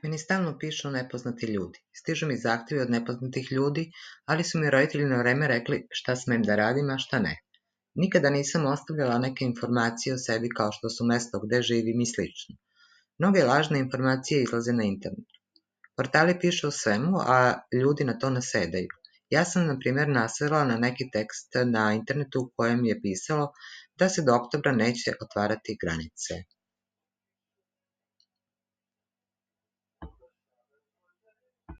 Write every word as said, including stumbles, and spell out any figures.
Meni stalno pišu nepoznati ljudi. Stižu mi zahtjevi od nepoznatih ljudi, ali su mi roditelji na vreme rekli šta smem da radim, a šta ne. Nikada nisam ostavljala neke informacije o sebi kao što su mesto gde živim i slično. Mnoge lažne informacije izlaze na internetu. Portali pišu o svemu, a ljudi na to nasedaju. Ja sam, na primjer, nasrela na neki tekst na internetu u kojem je pisalo da se do oktobra neće otvarati granice.